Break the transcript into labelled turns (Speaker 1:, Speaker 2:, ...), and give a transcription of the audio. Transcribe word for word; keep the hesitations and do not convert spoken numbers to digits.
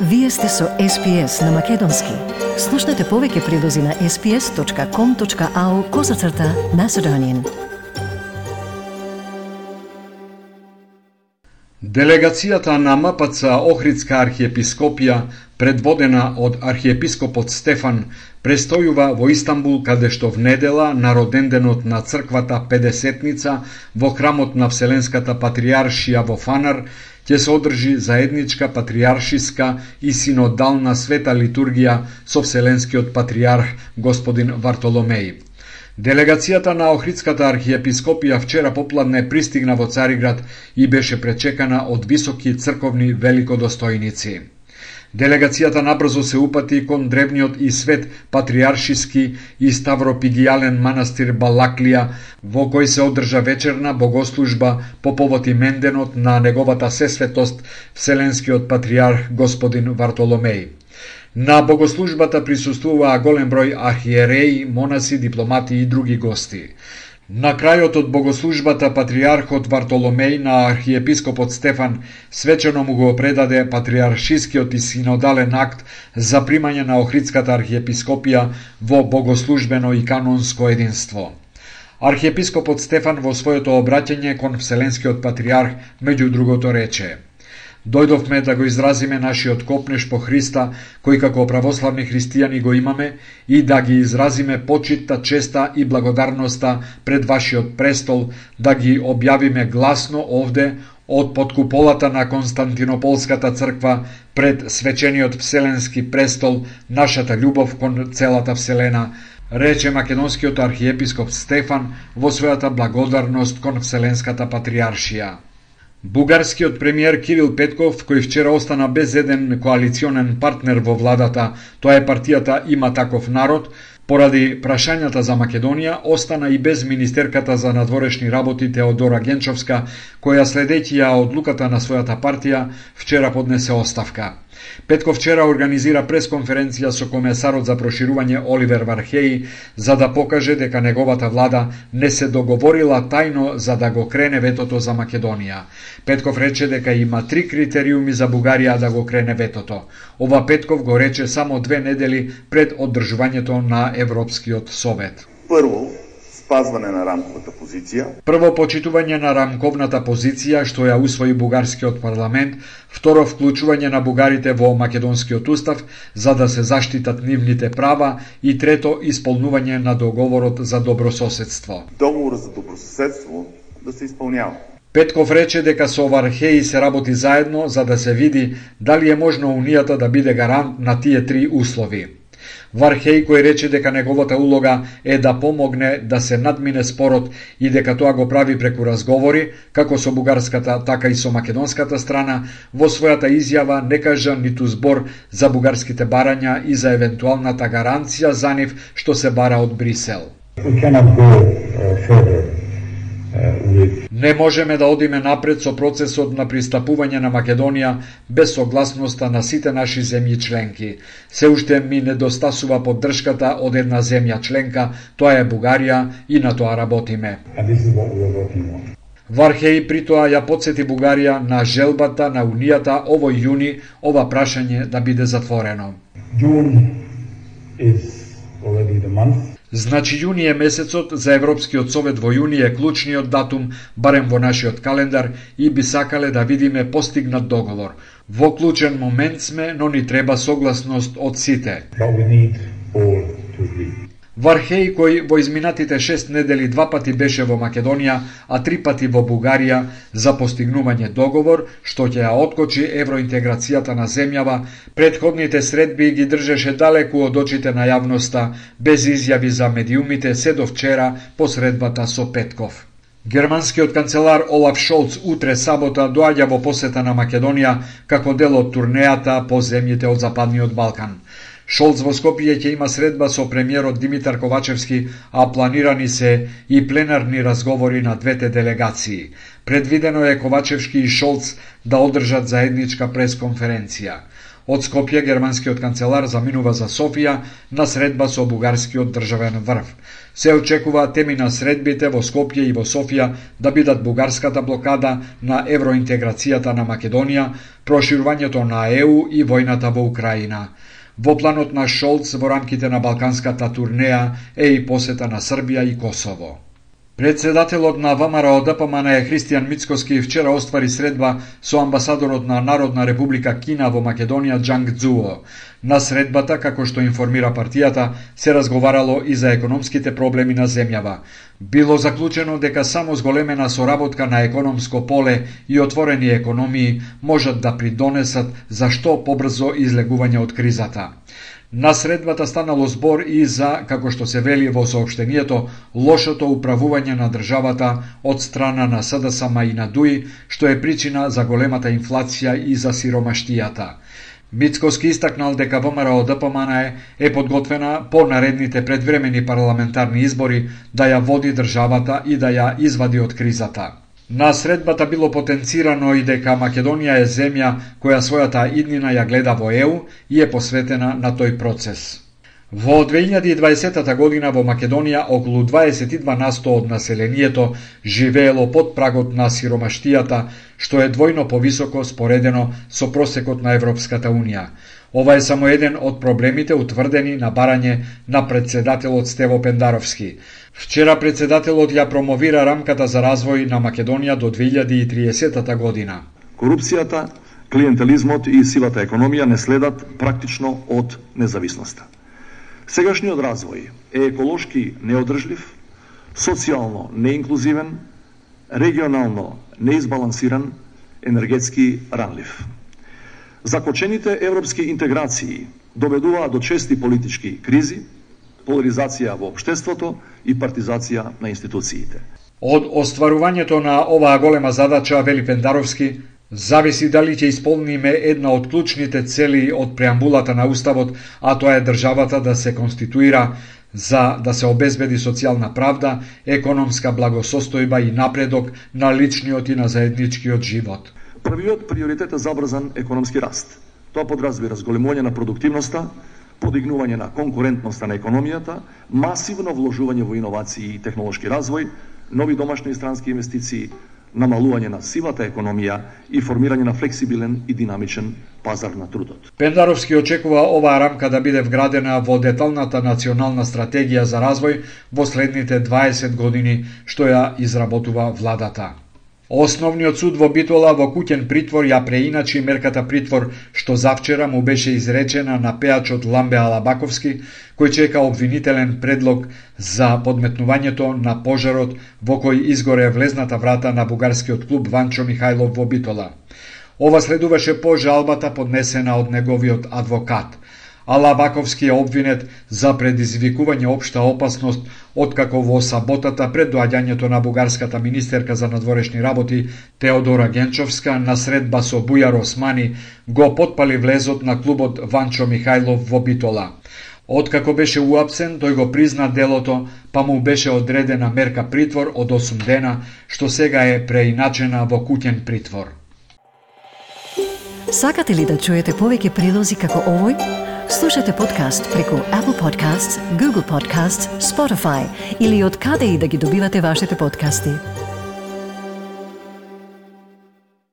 Speaker 1: Вие сте со Ес Пи Ес на Македонски. Слушнете повеќе прилози на ес пи ес точка ком точка ау козацрта Macedonian.
Speaker 2: Делегацијата на М П Ц Охридска архиепископија, предводена од архиепископот Стефан, престојува во Истанбул, каде што в недела, на роденденот на црквата Педесетница, во храмот на Вселенската патријаршија во Фанар, ќе се одржи заедничка патријаршиска и синодална света литургија со Вселенскиот патријарх господин Вартоломеј. Делегацијата на Охридската архиепископија вчера попладне пристигна во Цариград и беше пречекана од високи црковни великодостојници. Делегацијата набрзо се упати кон древниот и свет патријаршиски и ставропигијален манастир Балаклија, во кој се одржа вечерна богослужба по повод именденот на неговата сесветост Вселенскиот патријарх господин Вартоломеј. На богослужбата присуствуваа голем број архиереи, монаси, дипломати и други гости. На крајот од богослужбата патријархот Вартоломеј на архиепископот Стефан свечено му го предаде патријаршискиот и синодален акт за примање на Охридската архиепископија во богослужбено и канонско единство. Архиепископот Стефан во своето обраќање кон Вселенскиот патријарх меѓу другото рече: Дојдовме да го изразиме нашиот копнеш по Христа, кој како православни христијани го имаме, и да ги изразиме почитта, честа и благодарноста пред вашиот престол, да ги објавиме гласно овде, од подкуполата на Константинополската црква, пред свечениот Вселенски престол, нашата љубов кон целата Вселена, рече македонскиот архиепископ Стефан во својата благодарност кон Вселенската патријаршија. Бугарскиот премиер Кирил Петков, кој вчера остана без еден коалиционен партнер во владата, тоа е партијата Има таков народ, поради прашањата за Македонија, остана и без министерката за надворешни работи Теодора Генчовска, која следејќи ја одлуката на својата партија, вчера поднесе оставка. Петков вчера организира пресконференција со комесарот за проширување Оливер Вархеи, за да покаже дека неговата влада не се договорила тајно за да го крене ветото за Македонија. Петков рече дека има три критериуми за Бугарија да го крене ветото. Ова Петков го рече само две недели пред одржувањето на Европскиот совет.
Speaker 3: Прво, спазване на рамковата позиција.
Speaker 2: Прво, почитување на рамковната позиција што ја усвои бугарскиот парламент. Второ, вклучување на бугарите во македонскиот устав за да се заштитат нивните права. И трето, исполнување на договорот за добрососедство.
Speaker 3: Договорот за добрососедство да се исполнява.
Speaker 2: Петков рече дека со Вархеи се работи заедно за да се види дали е можно Унијата да биде гарант на тие три услови. Вархеј, кој рече дека неговата улога е да помогне да се надмине спорот и дека тоа го прави преку разговори, како со бугарската, така и со македонската страна, во својата изјава не кажа ниту збор за бугарските барања и за евентуалната гаранција за нив што се бара од Брисел. Не можеме да одиме напред со процесот на пристапување на Македонија без согласноста на сите наши земји членки. Се уште ми недостасува поддршката од една земја членка, тоа е Бугарија, и на тоа работиме. Вархеи при тоа ја подсети Бугарија на желбата на Унијата овој јуни ова прашање да биде затворено. Значи јуни е месецот, за Европскиот совет во јуни е клучниот датум, барем во нашиот календар, и би сакале да видиме постигнат договор. Во клучен момент сме, но ни треба согласност од сите. Вархеј, кој во изминатите шест недели два пати беше во Македонија, а три пати во Бугарија за постигнување договор, што ќе ја откочи евроинтеграцијата на земјава, предходните средби ги држеше далеку од очите на јавноста, без изјави за медиумите се до вчера по средбата со Петков. Германскиот канцелар Олаф Шолц утре сабота доаѓа во посета на Македонија како дел од турнејата по земјите од Западниот Балкан. Шолц во Скопје ќе има средба со премиерот Димитар Ковачевски, а планирани се и пленарни разговори на двете делегации. Предвидено е Ковачевски и Шолц да одржат заедничка пресконференција. Од Скопје германскиот канцелар заминува за Софија на средба со бугарскиот државен врв. Се очекува теми на средбите во Скопје и во Софија да бидат бугарската блокада на евроинтеграцијата на Македонија, проширувањето на Е У и војната во Украина. Во планот на Шолц во рамките на балканската турнеја е и посета на Србија и Косово. Председателот на ВМРО Д П М Н Христијан Мицкоски вчера оствари средба со амбасадорот на Народна република Кина во Македонија Џанг Ѕуо. На средбата, како што информира партијата, се разговарало и за економските проблеми на земјава. Било заклучено дека само зголемена соработка на економско поле и отворени економии можат да придонесат за што побрзо излегување од кризата. На средбата станало збор и за, како што се вели во соопштението, лошото управување на државата од страна на С Д С М и на Дуи, што е причина за големата инфлација и за сиромаштијата. Мицкоски истакнал дека ВМРО Д П М Н е подготвена по наредните предвремени парламентарни избори да ја води државата и да ја извади од кризата. На средбата било потенцирано и дека Македонија е земја која својата иднина ја гледа во Е У и е посветена на тој процес. Во две илјади и дваесетта година во Македонија околу дваесет и два на сто од населението живеело под прагот на сиромаштијата, што е двојно повисоко споредено со просекот на Европската Унија. Ова е само еден од проблемите утврдени на барање на председателот Стево Пендаровски. Вчера председателот ја промовира рамката за развој на Македонија до две илјади и триесетта година.
Speaker 4: Корупцијата, клиентелизмот и сивата економија не следат практично од независноста. Сегашниот развој е еколошки неодржлив, социјално неинклузивен, регионално неизбалансиран, енергетски ранлив. Закочените европски интеграции доведуваат до чести политички кризи, поларизација во општеството и партизација на институциите.
Speaker 2: Од остварувањето на оваа голема задача, вели Пендаровски, зависи дали ќе исполниме една од клучните цели од преамбулата на Уставот, а тоа е државата да се конституира за да се обезбеди социјална правда, економска благосостојба и напредок на личниот и на заедничкиот живот.
Speaker 4: Првиот приоритет е забрзан економски раст. Тоа подразбира зголемување на продуктивноста, подигнување на конкурентноста на економијата, масивно вложување во иновации и технолошки развој, нови домашни и странски инвестиции, намалување на сивата економија и формирање на флексибилен и динамичен пазар на трудот.
Speaker 2: Пендаровски очекува оваа рамка да биде вградена во деталната национална стратегија за развој во следните дваесет години, што ја изработува владата. Основниот суд во Битола во куќен притвор ја преиначи мерката притвор што завчера му беше изречена на пеачот Ламбе Алабаковски, кој чека обвинителен предлог за подметнувањето на пожарот во кој изгоре влезната врата на бугарскиот клуб Ванчо Михајлов во Битола. Ова следуваше по жалбата поднесена од неговиот адвокат. Алабаковски е обвинет за предизвикување општа опасност откако во саботата пред доаѓањето на бугарската министерка за надворешни работи Теодора Генчовска на средба со Бујар Османи го потпали влезот на клубот Ванчо Михајлов во Битола. Откако беше уапсен, тој го призна делото, па му беше одредена мерка притвор од осум дена, што сега е преиначена во куќен притвор.
Speaker 1: Сакате ли да чуете повеќе прилози како овој? Слушате подкаст преку Apple Podcasts, Google Podcasts, Spotify или од каде и да ги добивате вашите подкасти.